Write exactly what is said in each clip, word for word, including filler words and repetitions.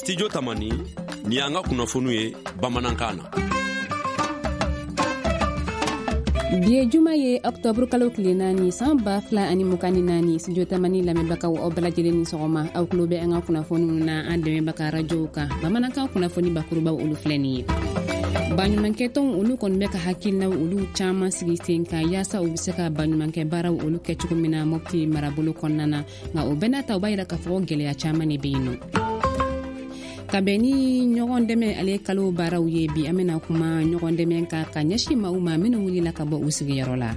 Studio Tamani, ni y'an ka kunnafoniw ye bamanankan na. Bi ye juma ye, ɔktɔburu kalo tile naani, san ba fila ani mugan ni naani. Studio Tamani lamɛnbagaw, aw bɛɛ lajɛlen ni sɔgɔma. Aw tulo bɛ an ka kunnafoniw na an dɛmɛbaga rajow kan. Bamanankan kunnafoni bakurubaw, olu filɛ nin ye. Baɲumankɛtɔnw, olu kɔni bɛ ka hakilinaw olu caaman sigi sen kan yaasa u be se ka baɲumankɛ baaraw olu kɛ cogo min na Mɔpti marabolo kɔnɔna na. Nka o bɛɛ n'a ta, u b'a yira k'a fɔ gwɛlɛya caaman de be yen nɔ. Ka bɛn ni ɲɔgɔn dɛmɛ ale kalo baaraw ye, bi an bena kuma ɲɔgɔn dɛmɛ kan ka ɲɛsin maaw ma minw wulila ka bɔ u sigiyɔrɔ la.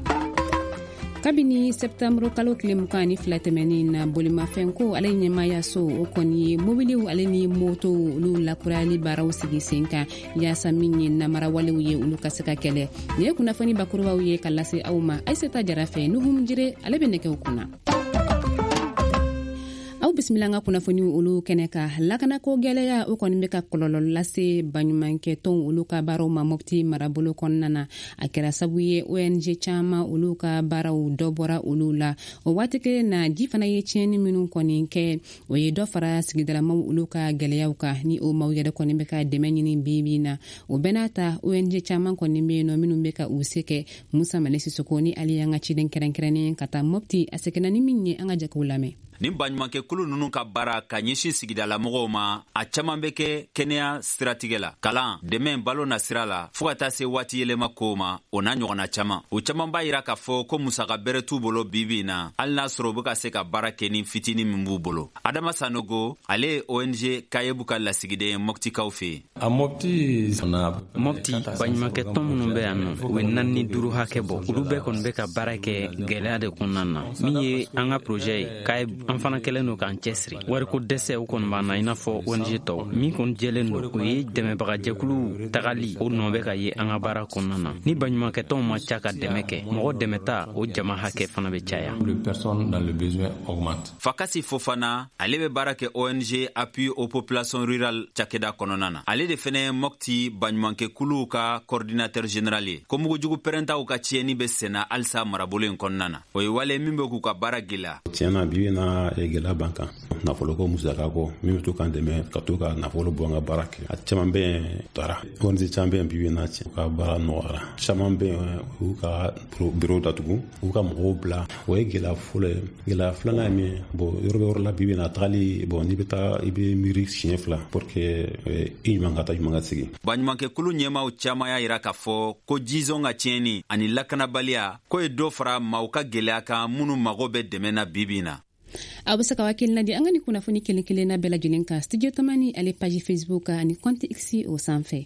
Kabini sɛptanburu kalo tile mugan ani fila tɛmɛnin na, bolimafɛnko ale ɲɛmayaso, o kɔni ye mobiliw ale ni motow olu lakurayali baaraw sigi sen kan yaasa min ye namarawalew ye, olu ka se ka kɛlɛ. Nin ye kunnafoni bakurubaw ye ka lase aw ma Ayisata Jara fɛ. Nuhum Jire, ale bɛ nɛgɛw kunna. Aw bisimila an ka kunnafoniw olu kɛnɛ kan. Lakanako gwɛlɛya, o kɔni bɛ ka kɔlɔlɔ lase baɲumankɛtɔnw olu ka baaraw ma Mɔpti marabolo kɔnɔna na. A kɛra sabu ye O N G caaman olu ka baaraw dɔ bɔra olu la. O waati kelen na, ji fana ye tiɲɛni minnu kɔni kɛ, o ye dɔ fara sigidalamaw olu ka gwɛlɛyaw kan, ni o maaw yɛrɛ kɔni bɛ ka dɛmɛ ɲini bi bi na. O bɛɛ n'a ta, O N G caaman kɔni bɛ yen nɔ minnu bɛ ka u se kɛ. Musa Male Sisoko ni ale y'an ka ciden kɛrɛnkɛrɛnnen ka taa Mɔpti, a seginna ni min ye, an ka jɛkɛw lamɛn. Nin baɲumankɛkulu nunu ka baara ka ɲɛsin sigidalamɔgɔw ma, a caaman bɛ kɛ kɛnɛya siratigɛ la, kalan, dɛmɛ balo na sira la, fɔɔ ka taa se waati yɛlɛma kow ma, o n'a ɲɔgɔnna caaman. O caaman b'a yira k'a fɔ ko musaka bɛrɛ t'u bolo bibi na, hali n'a sɔrɔ u be ka se ka baara kɛ ni fitini min b'u bolo. Adama Sanogo, ale ye O N G Kayebu ka lasigiden Mɔptikaw fɛ yen. Mɔpti, baɲumankɛtɔn minnu bɛ yan nɔ, u ye naani ni duuru hakɛ bɔ. Olu bɛɛ kɔni bɛ ka baara kɛ gwɛlɛya de kɔnɔna na. Min ye an ka projet ye Kayeb, an fana kɛlen don k'an cɛsiri. Wariko dɛsɛ, o kɔni b'an na i n'a fɔ O N G tɔw. Min kɔni jɛlen don, o ye dɛmɛbagajɛkuluw tagali, o nɔ bɛ ka ye an ka baara kɔnɔna na. Ni baɲumankɛtɔnw ma ca ka dɛmɛ kɛ, mɔgɔ dɛmɛta o jama hakɛ fana bɛ caya. Fakasi Fofana, ale bɛ baara kɛ O N G Appui aux populations rurales cakɛda kɔnɔna na. Ale de fɛnɛ ye Mɔpti baɲumankɛkuluw ka coordinateur général ye. Ko mugujugu pɛrɛntaw ka tiɲɛni bɛ senna halisa marabolo in kɔnɔna na, o ye wale min bɛ k'u ka baara gwɛlɛya. Tiɲɛ na, bi na, gɛlɛya b'an kan nafoloko, musaka kɔ min bɛ to k'an dɛmɛ ka to ka nafolo bɔ an ka baara kɛ. A caman bɛ yen taara. O N G caman bɛ yen bi na, tiɲɛ, u ka baara nɔgɔyara. Caman bɛ yen, u y'u ka bureau datugu, u ka mɔgɔw bila. O ye gɛlɛya fɔlɔ ye. Gɛlɛya filanan ye min ye, bon, yɔrɔ bɛ yɔrɔ la bi na, tagali, bon, n'i bɛ taa, i bɛ miiri siɲɛ fila pour que i ɲuman ka taa, ɲuman ka segin. Baɲumankɛkulu ɲɛmaw caaman y'a yira k'a fɔ ko jizɔn ka tiɲɛni ani lakanabaliya ko ye dɔ fara maaw ka gwɛlɛya kan minnu mago bɛ dɛmɛ na bibi na. Aw bɛ se ka hakilina di an ka ni kunnafoni kelen kelenna bɛɛ lajɛlen kan Studio Tamani ale page Facebook ani compte X o sanfɛ.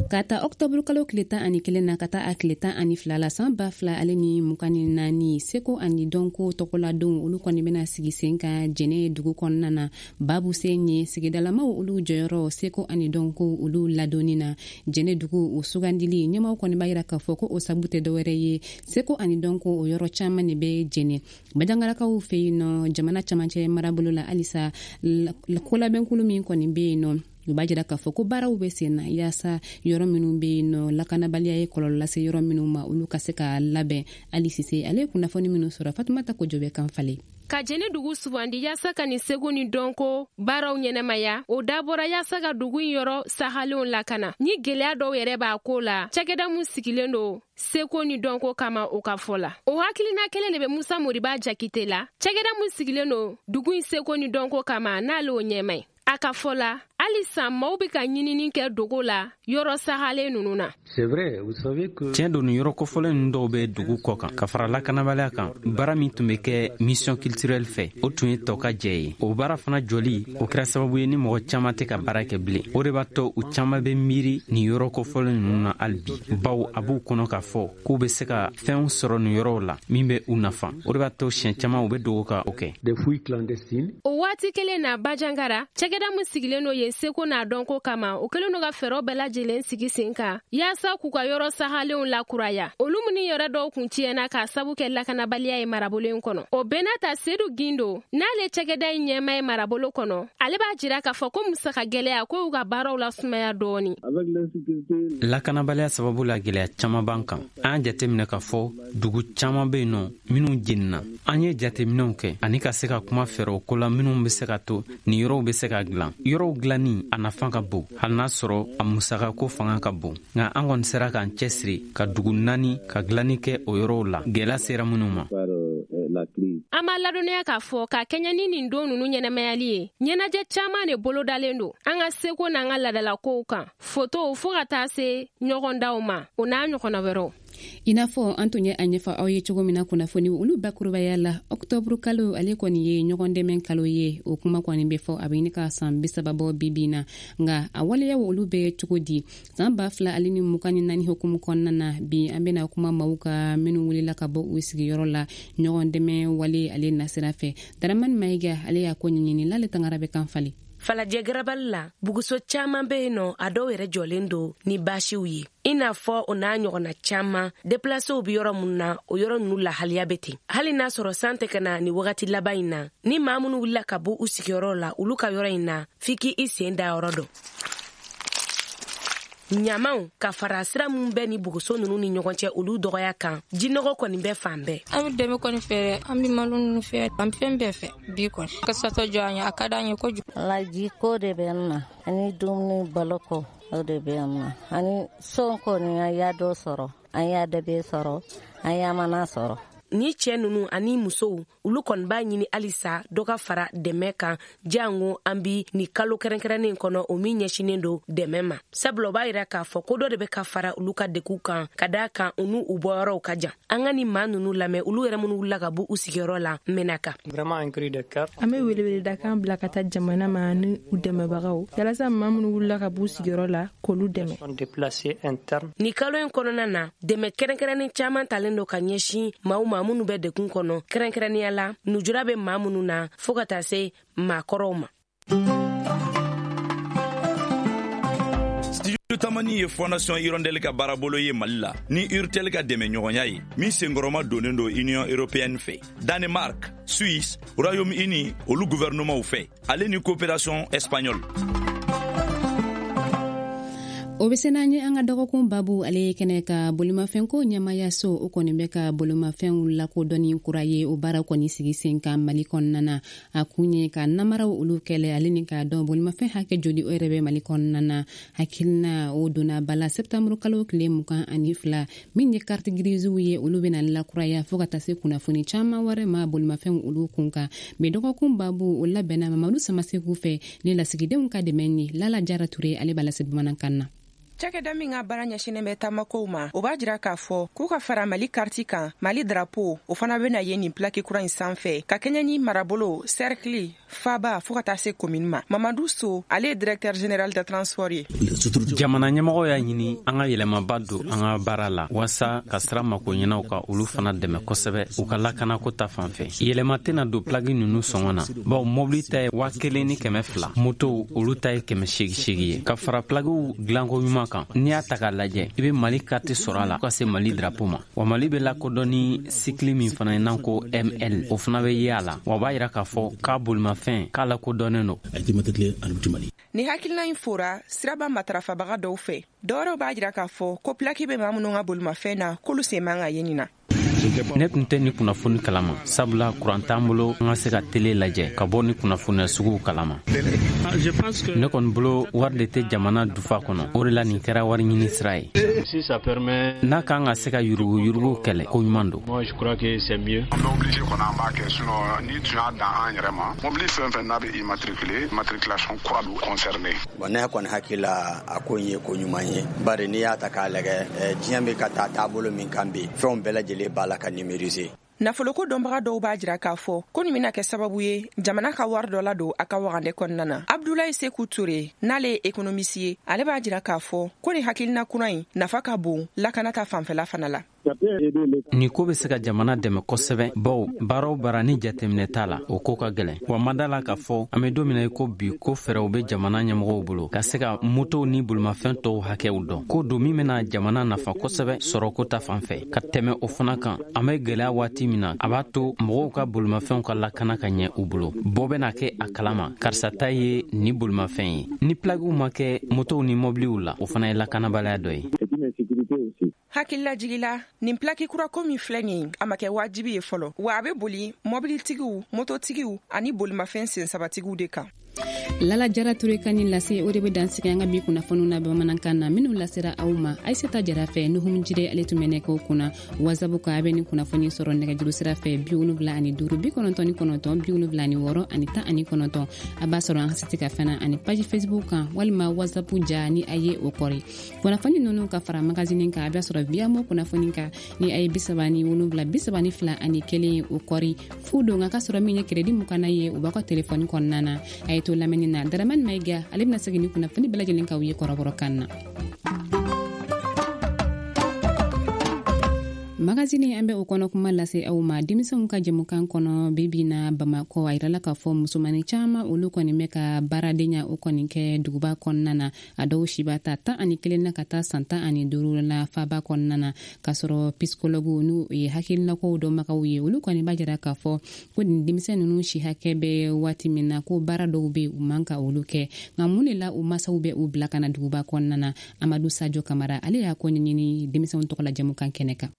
Ka ta ɔktɔburu kalo tile tan ani kelen na ka taa a tile tan ani fila la, san ba fila ale ni mugan ni naani, seko ani dɔnko tɔgɔladonw olu kɔni bɛna sigi sen kan Jɛnɛ dugu kɔnɔna na. Babu sen ye sigidalamaw olu jɔyɔrɔ seko ani dɔnko olu ladonni na. Jɛnɛ dugu o sugandili, ɲɛmaw kɔni b'a yira k'a fɔ ko o sabu tɛ dɔwɛrɛ ye, seko ani dɔnko o yɔrɔ caaman de bɛ Jɛnɛ Bajangarakaw fɛ yen nɔ, jamana camancɛ marabolo la. Halisa kolabɛnkulu min kɔni bɛ yen nɔ, u b'a jira k'a fɔ ko baaraw bɛ sen na yaasa yɔrɔ minnu bɛ yen nɔ, lakanabaliya ye kɔlɔlɔ lase yɔrɔ minnu ma, olu ka se ka labɛn. Ali Sise, ale ye kunnafoni minnu sɔrɔ, Fatumata Kojo bɛ kan falen. Ka Jɛnɛ dugu sugandi yaasa ka nin segu ni dɔnko baaraw ɲɛnɛmaya, o dabɔra yaasa ka dugu in yɔrɔ sahalenw lakana ni gwɛlɛya dɔw yɛrɛ b'a ko la. Cakɛda mun sigilen don seko ni dɔnko kama, o ka fɔ la, o hakilina kelen de bɛ Musa Moriba Jakite la, cakɛda mun sigilen don dugu in seko ni dɔnko kama, n'ale o ɲɛma ye. A ka fɔ la, halisa maaw be ka ɲinini kɛ dogo la yɔrɔ sahalen nunu na. Tiɲɛ don, nin yɔrɔ kofɔlen ninnu dɔw bɛ dugu kɔ kan. Ka fara lakanabaliya kan, baara min tun bɛ kɛ mission culturelle fɛ, o tun ye tɔ ka jɛ ye. O baara fana jɔli, o kɛra sababu ye ni mɔgɔ caman tɛ ka baara kɛ bilen. O de b'a to u caman bɛ miiri nin yɔrɔ kofɔlen ninnu na hali bi, bawo a b'u kɔnɔ k'a fɔ k'u bɛ se ka fɛnw sɔrɔ nin yɔrɔw la min bɛ u nafa. O de b'a to siɲɛ caman u bɛ dogo ka o kɛ. O waati kelen na, Bajangara, cakɛda min sigilen don yen. seko n'a dɔnko kama, o kɛlen don ka fɛɛrɛw bɛɛ lajɛlen sigi sen kan yaasa k'u ka yɔrɔ sahalenw lakuraya, olu minnu yɛrɛ dɔw kun tiɲɛna k'a sabu kɛ lakanabaliya ye marabolo in kɔnɔ. O bɛɛ n'a ta, Sedu Gindo, n'ale cakɛda in ɲɛma ye marabolo kɔnɔ, ale b'a jira k'a fɔ ko musaka gɛlɛya ko y'u ka baaraw lasumaya dɔɔni. Lakanabaliya sababu la, gɛlɛya caman b'an kan. An y'a jateminɛ k'a fɔ dugu caman bɛ yen nɔ minnu jenina. An ye jateminɛw kɛ ani ka se ka kuma fɛɛrɛw ko la minnu bɛ se ka to nin yɔrɔw bɛ se ka dilan. Yɔrɔw dilanni a nafa ka bon, hali n'a sɔrɔ a musakako fanga ka bon, nka an kɔni sera k'an cɛsiri ka dugu naani ka dilanni kɛ o yɔrɔw la, gɛlɛya sera minnu ma. An b'a ladɔnniya k'a fɔ ka kɛɲɛ ni nin don nunu ɲɛnɛmayali ye, ɲɛnajɛ caaman de bolodalen don an ka seko n'an ka ladalakow kan, fotow fɔɔ ka taa se ɲɔgɔndaw ma, o n'a ɲɔgɔnna wɛrɛw. I n'a fɔ an tun ye a ɲɛfɔ aw ye cogo min na kunnafoni olu bakurubaya la, ɔktɔburu kalo ale kɔni ye ɲɔgɔn dɛmɛ kalo ye. O kuma kɔni bɛ fɔ a bɛ ɲini ka san bi saba bɔ bi bi na, nka a waleyaw olu bɛ cogo di san ba fila ale ni mugan ni naani hukumu kɔnɔna na? Bi an bɛna kuma maaw ka minnu wulila ka bɔ u sigiyɔrɔ la ɲɔgɔn dɛmɛ wale ale nasira fɛ. Daramani Mayiga, ale y'a ko ɲɛɲini. L'ale Tangara bɛ kan falen. Falajɛ garabali la, buguso caaman be yen nɔ, a dɔw yɛrɛ jɔlen don ni baasiw ye, i n'a fɔ o n'a ɲɔgɔnna caaman. Deplasew be yɔrɔ mun na, o yɔrɔ nunu lahaliya be ten, hali n'a sɔrɔ san tɛ ka na ni wagati laban in na. Ni maa minnu wulila ka bɔ u sigiyɔrɔ la, olu ka yɔrɔ in na, f'i k'i i sen da yɔrɔ dɔn. Ɲamaw ka fara sira mun bɛ ni buguso nunu ni ɲɔgɔn cɛ, olu dɔgɔya kan, jinɔgɔ kɔni bɛ fan bɛɛ. An bɛ dɛmɛ kɔni fɛ, an bɛ malo nunu fɛ, an bɛ fɛn bɛɛ fɛ bi kɔni. Ka satɔ jɔ an ye, a ka d'an ye kojugu. Laji ko de bɛ n na, ani dumuni baloko o de bɛ n na, ani son kɔni an y'a dɔ sɔrɔ, an y'a dɛbɛ sɔrɔ, an y'a mana sɔrɔ. Ni cɛɛ nunu ani musow, olu kɔni b'a ɲini halisa dɔ ka fara dɛmɛ kan, jango an bi ni kalo kɛrɛnkɛrɛnnen kɔnɔ, o min ɲɛsinen don dɛmɛ ma, sabula o b'a yira k'a fɔ ko dɔ de bɛ ka fara olu ka deguw kan, ka daa kan u n'u u bɔyɔrɔw ka jan. An ka ni maa nunu lamɛn, olu yɛrɛ minnu wulila ka bɔ u sigiyɔrɔ la Mɛnaka. An be weleweledakan bila ka taa jamana ma ni u dɛmɛbagaw, yalasa maa minnu wulila ka b'u sigiyɔrɔ la, k'olu dɛmɛ. Ni kalo in kɔnɔna na, dɛmɛ kɛrɛnkɛrɛnnen caaman talen don ka ɲɛsin maaw ma minnu bɛ degun kɔnɔ, kɛrɛnkɛrɛnnenya la nujura bɛ maa minnu na, fɔɔ ka taa se maakɔrɔw ma. Studio Tamani ye Fondation Hirondelle ka baarabolo ye Mali la ni Urtel ka dɛmɛ ɲɔgɔnya ye, min senkɔrɔma donnen don Union européenne fɛ, Danemark, Suisse, Royaume-Uni olu gouvernementw fɛ, ale ni coopération espagnole. O bɛ se n'an ye an ka dɔgɔkun babu ale ye kɛnɛ ka bolimafɛnko ɲɛmayaso, o kɔni bɛ ka bolimafɛnw lakodɔnni kura ye. O baara kɔni sigi sen kan Mali kɔnɔna na, a kun ye ka namaraw olu kɛlɛ, ale ni k'a dɔn bolimafɛn hakɛ joli o yɛrɛ bɛ Mali kɔnɔna na. Hakilina o donna bala sɛptanburu kalo tile mugan ani fila. Min ye carte grisew ye, olu bɛna lakuraya, fɔɔ ka taa se kunnafoni caman wɛrɛ ma bolimafɛnw olu kun kan. Mɛ dɔgɔkun babu o labɛnna Mamadu Samaseku fɛ ni lasigidenw ka dɛmɛ ye. Lala Jara Ture, ale b'a lase bamanankan na. Cakɛda min ka baara ɲɛsinen bɛ taamakow ma, o b'a jira k'a fɔ k'u ka fara Mali kariti kan, Mali drapo o fana bena ye nin plaki kura in sanfɛ, ka kɛɲɛ ni marabolo, sɛrikili, faba, fɔɔ ka taa se komini ma. Mamadu So, ale ye directeur général de transport ye. Jamana ɲɛmɔgɔ y'a ɲini an ka yɛlɛmaba don an ka baara la, waasa ka sira mako ɲɛnaw ka olu fana dɛmɛ kosɛbɛ u ka lakanako ta fan fɛ. Yɛlɛma tɛna don plaki nunu sɔngɔ na, bawo mɔbili ta ye waa kelen ni kɛmɛ fila, motow olu ta ye kɛmɛ seegi seegi ye. Ka fara plakiw dilanko ɲuman kan, n'i y'a ta k'a lajɛ, i be Mali karti sɔrɔ a la ka se Mali drapo ma. Wa Mali be lakodɔn ni sikili min fana ye n'an ko M L, o fana be ye a la. Wa b'a yira k'a fɔ k'a bolimafɛn k'a lakodɔnnen don. Ni hakilina in fora siraba matarafabaga dɔw fɛ, dɔwɛrɛw b'a jira k'a fɔ ko plaki bɛ maa minnu ka bolimafɛn na, k'olu sen man ka ye nin na. Ne tun tɛ ni kunnafoni kalama, sabula kuran t'an bolo an ka se ka tele lajɛ ka bɔ ni kunnafoniya suguw kalama. Ne kɔni bolo, wari de tɛ jamana dufa kɔnɔ, o de la nin kɛra wari ɲini sira ye. N'a kan ka se ka yuruguyurugu kɛlɛ, ko ɲuman don. An bɛ obligé kɔnɔ, an b'a kɛ, sinon ni tun y'a dan an yɛrɛ ma, mobili fɛn fɛn n'a bɛ immatriculé, immatriculation kura bɛ concerné. Bon, ne kɔni hakili la, a ko in ye ko ɲuman ye, bari n'i y'a ta k'a lajɛ, diɲɛ bɛ ka taa taabolo min kan bi, fɛnw bɛɛ lajɛlen b'a la ka numériser. Nafoloko dɔnbaga dɔw b'a jira k'a fɔ ko nin bena kɛ sababu ye jamana ka wari dɔ ladon a ka wagandɛ kɔnɔna na. Abdulayi Seku Ture, n'ale ye économiste ye, ale b'a jira k'a fɔ ko nin hakilina kura in nafa ka bon lakana ta fanfɛla fana la. Nin ko bɛ se ka jamana dɛmɛ kosɛbɛ, bawo baara o baara ni jateminɛ t'a la, o ko ka gɛlɛn. Wa ma da la k'a fɔ an bɛ don min na i ko bi, ko fɛɛrɛw bɛ jamana ɲɛmɔgɔw bolo ka se ka motow ni bolimafɛn tɔw hakɛw dɔn. Ko don min bɛna jamana nafa kosɛbɛ sɔrɔko ta fan fɛ. Ka tɛmɛ o fana kan, an bɛ gɛlɛya waati min na, a b'a to mɔgɔw ka bolimafɛnw ka lakana ka ɲɛ u bolo. Bɔ bɛna kɛ a kalama karisa ta ye ni bolimafɛn ye. Ni plagiw ma kɛ motow ni mɔbiliw la, o fana ye lakanabaliya dɔ ye. Hakililajigila, nin plaki kurako min filɛ nin, a ma kɛ wajibi ye fɔlɔ, wa a bɛ boli mɔbilitigiw, mototigiw ani bolimafɛn sensabatigiw de kan. Lala Jara Ture ka nin lase, o de bɛ dansigi an ka bi kunnafoniw na bamanankan na minnu lasera aw ma Aisata Jara fɛ. Nuhum Jire ale tun bɛ nɛgɛw kunna. WhatsApp kan, a bɛ nin kunnafoni sɔrɔ nɛgɛjuru sira fɛ bi wolonwula ani duuru bi kɔnɔntɔn ni kɔnɔntɔn bi wolonwula ani wɔɔrɔ ani tan ani kɔnɔntɔn. A b'a sɔrɔ an ka site kan fana ani page Facebook kan walima WhatsApp ja ni a ye o kɔri. Kunnafoni ninnu ka fara magazine kan, a b'a sɔrɔ Viyamo kunnafoni kan ni a ye bi saba ni wolonwula bi saba ni fila ani kelen o kɔri. Fu don a ka sɔrɔ min ye crédit mugan ye o b'a ka telefɔni kɔnɔna na. A ye to lamɛnni na. Daramani Mayiga ale bɛna segin ni kunnafoni bɛɛ lajɛlen k'aw ye kɔrɔbɔrɔkan na. Magazine an bɛ o kɔnɔ kuma lase aw ma denmisɛnw ka jɛmukan kɔnɔ bibi na Bamakɔ. A yirala k'a fɔ musomanin caman olu kɔni bɛ ka baaradenya o kɔni kɛ duguba kɔnɔna na. A dɔw si b'a ta tan ani kelen na ka taa san tan ani duuru la faba kɔnɔna na, k'a sɔrɔ psychologue n'u ye hakilinakow dɔnbagaw ye, olu kɔni b'a jira k'a fɔ ko nin denmisɛn ninnu si hakɛ bɛ waati min na, ko baara dɔw bɛ u man ka olu kɛ. Nka mun de la u masaw bɛ u bila ka na duguba kɔnɔna na? Amadu Sajo Kamara ale y'a ko ɲɛɲini denmisɛnw tɔgɔ la jɛmukan kɛnɛ kan.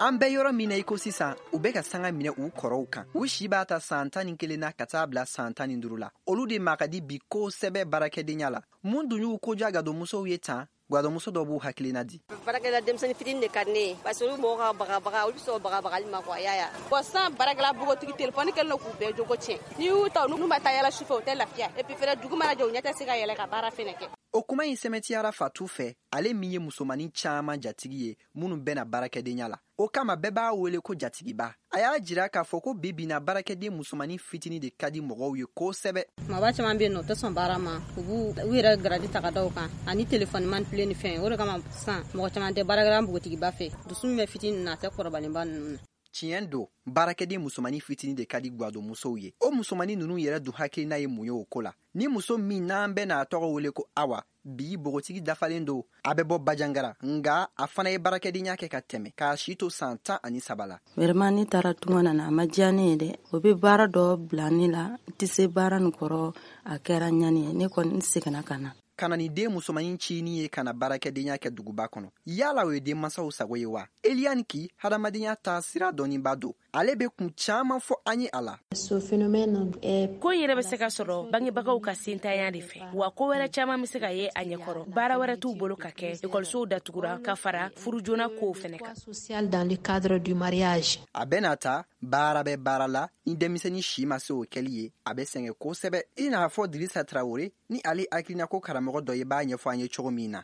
An bɛ yɔrɔ min na i ko sisan, u bɛ ka sanga minɛ u kɔrɔw kan. U si b'a ta san tan ni kelen na ka taa bila san tan ni duuru la. Olu de ma ka di bi kosɛbɛ baarakɛdenya la. Mun dun y'u kodiya gadonmusow ye tan? Gadonmuso dɔ b'u hakilina di. Baarakɛla denmisɛnnin fitinin de ka di ne ye, parce que olu mɔgɔw ka bagabaga, olu bɛ sɔn bagabagali ma quoi, y'a ye. Bon, sisan baarakɛla npogotigi telefɔni kɛlen don k'u bɛɛ jogo tiɲɛ. N'i y'u ta, n'u ma taa yala sufɛ, u tɛ lafiya. Et puis fɛnɛ, dugu mana jɛ, u ɲɛ tɛ se ka yɛlɛ ka baara fɛnɛ kɛ. O kuma in sɛmɛtiyara Fatu fɛ, ale min ye musomanin caman jatigi ye minnu bɛna baarakɛdenya la. O kama bɛɛ b'a wele ko jatigiba. A y'a jira k'a fɔ ko bi bi na baarakɛden musomanin fitinin de ka di mɔgɔw ye kosɛbɛ. Maba caman bɛ yen nɔ, u tɛ sɔn baara ma, u b'u u yɛrɛ garadi ta ka da u kan ani telefɔni manipulé ni fɛn. O de kama sisan mɔgɔ caman tɛ baarakɛla npogotigiba fɛ. Dusu min bɛ fitinin na, a tɛ kɔrɔbalenba ninnu na. Tiɲɛ don, baarakɛden musomanin fitinin de ka di gadonmusow ye. O musomanin ninnu yɛrɛ dun hakilina ye mun ye o ko la? Ni muso min n'an bɛ n'a tɔgɔ wele ko Awa, bi bogotigi dafalen don, a bɛ bɔ Bajangara, nka a fana ye baarakɛdenya kɛ ka tɛmɛ k'a si to san tan ani saba la. Vraiment, ne taara tunga na, a ma diya ne ye dɛ. O bɛ baara dɔ bila ne la, n tɛ se baara nin kɔrɔ, a kɛra ɲani ye. Ne kɔni n seginna ka na. Ka na ni den musomanin cinin ye ka na baarakɛdenya kɛ duguba kɔnɔ, yala o ye denmansaw sago ye wa? Eliane Ki, hadamadenya taa sira dɔnniba don, ale bɛ kun caman fɔ an ye a la. Ko in yɛrɛ bɛ se ka sɔrɔ bangebagaw ka sentanya de fɛ, wa ko wɛrɛ caman bɛ se ka ye a ɲɛkɔrɔ. Baara wɛrɛ t'u bolo ka kɛ, ekɔlisow datugura ka fara furu joona kow fɛnɛ kan. A bɛna ta baara bɛ baara la, ni denmisɛnnin si ma se o kɛli ye, a bɛ sɛgɛn kosɛbɛ. I n'a fɔ Dirisa Traore ni ale hakilina ko karamɔgɔ dɔ ye b'a ɲɛfɔ an ye cogo min na.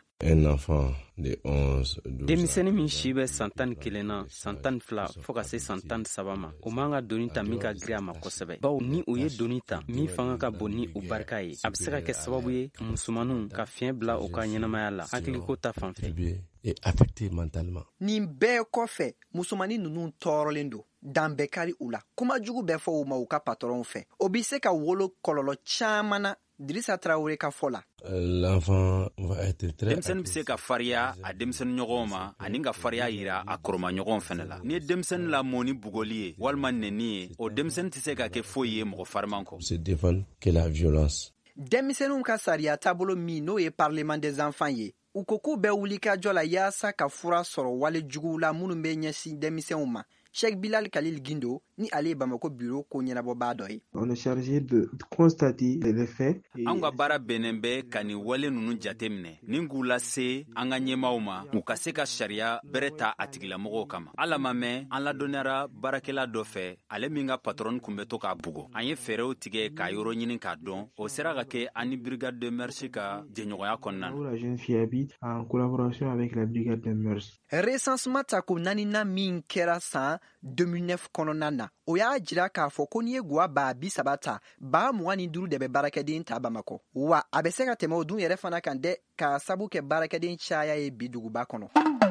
Denmisɛnnin min si bɛ san tan ni kelen na, san tan ni fila fo ka se san tan ni saba ma, o man ka doni ta min ka girin a ma kosɛbɛ, bawo ni o ye doni ta min fanga ka bon ni o barika ye, a bɛ se ka kɛ sababu ye musomaninw ka fiɲɛ bila u ka ɲɛnamaya la hakiliko ta fan fɛ. Nin bɛɛ kɔfɛ, musomanin ninnu tɔɔrɔlen don, dan bɛɛ kari u la, kuma jugu bɛɛ fɔ u ma u ka patɔrɔnw fɛ. O bɛ se ka wolo kɔlɔlɔ caman na. Dirisa Traore ka fɔ la. Denmisɛnnin bɛ se ka fariya a denmisɛnnin ɲɔgɔnw ma ani ka fariya yira a kɔrɔmaɲɔgɔnw fɛnɛ la. Ni ye denmisɛnnin lamɔ ni bugɔli ye walima nɛni ye, o denmisɛnnin tɛ se ka kɛ foyi ye mɔgɔ fariman kɔ. Denmisɛnninw ka sariya taabolo min n'o ye Parlement des enfants ye, u ko k'u bɛ wuli ka jɔ la yaasa ka fura sɔrɔ wale juguw la minnu bɛ ɲɛsin denmisɛnw ma. Cheikh Bilal Khalil Guindo ni ale ye Bamako bureau ko ɲɛnabɔbaa dɔ ye. On est chargé de constater les faits. Anw ka baara bɛnnen bɛ ka nin wale ninnu jateminɛ ni k'u lase an ka ɲɛmaaw ma, u ka se ka sariya bɛrɛ ta a tigilamɔgɔw kama. Ala ma mɛn, an ladɔnniyara baarakɛla dɔ fɛ, ale min ka patron kun bɛ to k'a bugɔ. An ye fɛɛrɛw tigɛ k'a yɔrɔ ɲini k'a dɔn. O sera ka kɛ an ni brigade de mœurs ka jɛɲɔgɔnya kɔnɔna na. La jeune fille habite en collaboration avec la brigade des mœurs. Recensement tako naaninan min kɛra san deux mille neuf kɔnɔna na, o y'a jira k'a fɔ ko n'i ye gwa ba bi saba ta, ba mugan ni duuru de bɛ baarakɛden ta Bamakɔ. Wa a bɛ se ka tɛmɛ o dun yɛrɛ fana kan dɛ, k'a sabu kɛ baarakɛden caya ye bi duguba kɔnɔ.